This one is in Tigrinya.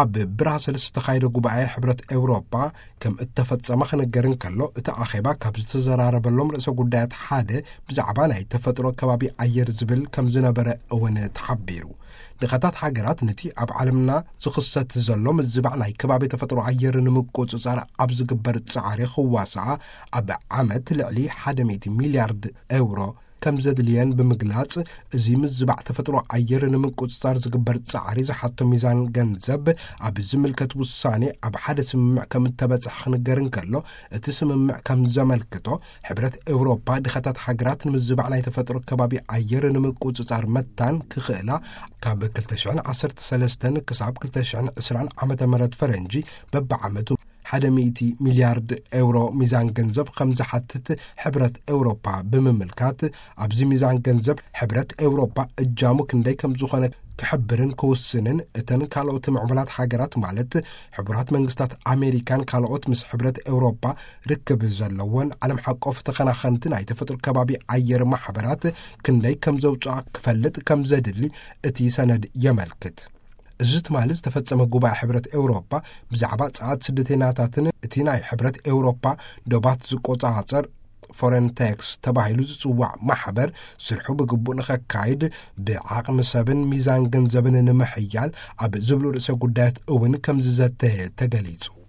ኣብ ብራሰልስ ዝተኻየደ ጉባኤ ሕብረት ኤውሮጳ ከም እተፈጸመ ክነገር እንከሎ፣ እቲ ኣኼባ ካብ ዝተዘራረበሎም ርእሰ ጉዳያት ሓደ ብዛዕባ ናይ ተፈጥሮ ከባቢ ኣየር ዝብል ከም ዝነበረ እውን ተሓቢሩ። ድኻታት ሃገራት ነቲ ኣብ ዓለምና ዝኽሰት ዘሎ ምዝባዕ ናይ ከባቢ ተፈጥሮ ኣየር ንምቁጽጻር ኣብ ዝግበር ጻዕሪ ክዋስኣ ኣብ ዓመት ልዕሊ ሓደ ሚእቲ ሚልያርድ ኤውሮ ከም ዘድልየን ብምግላጽ፣ እዚ ምዝባዕ ተፈጥሮ ኣየር ንምቁጽጻር ዝግበር ጻዕሪ ዝሓቶ ሚዛን ገንዘብ ኣብ ዝምልከት ውሳኔ ኣብ ሓደ ስምምዕ ከም እተበጽሐ ክንገር እንከሎ፣ እቲ ስምምዕ ከም ዘመልክቶ፣ ሕብረት ኤውሮፓ ድኻታት ሃገራት ንምዝባዕ ናይ ተፈጥሮ ከባቢ ኣየር ንምቁጽጻር መታን ክኽእላ፣ ካብ ክልተ ሽሕን ዓሰርተ ሰለስተን ክሳብ ክልተ ሽሕን ዕስራን ዓመተ ምህረት ፈረንጂ በብዓመቱ ሓደ ሚእቲ ሚልያርድ ኤውሮ ሚዛን ገንዘብ ከም ዝሓትት ሕብረት ኤውሮፓ ብምምልካት፣ ኣብዚ ሚዛን ገንዘብ ሕብረት ኤውሮፓ እጃሙ ክንደይ ከም ዝኾነ ክሕብርን ክውስንን፣ እተን ካልኦት ምዕቡላት ሃገራት ማለት ሕቡራት መንግስታት ኣሜሪካን ካልኦት ምስ ሕብረት ኤውሮፓ ርክብ ዘለዎን ዓለም ሓቆፍ ተኸናኸንቲ ናይ ተፈጥሮ ከባቢ ኣየር ማሕበራት ክንደይ ከም ዘውፅኣ ክፈልጥ ከም ዘድሊ እቲ ሰነድ የመልክት። እዚ ትማሊ ዝተፈጸመ ጉባኤ ሕብረት ኤውሮፓ ብዛዕባ ጸዓት ስደተኛታትን እቲ ናይ ሕብረት ኤውሮፓ ዶባት ዝቆጻጸር ፎረንቴክስ ተባሂሉ ዝጽዋዕ ማሕበር ስርሑ ብግቡእ ንኸካይድ ብዓቕሚ ሰብን ሚዛን ገንዘብን ንምሕያል ኣብ ዝብሉ ርእሰ ጉዳያት እውን ከም ዝዘተየ ተገሊጹ።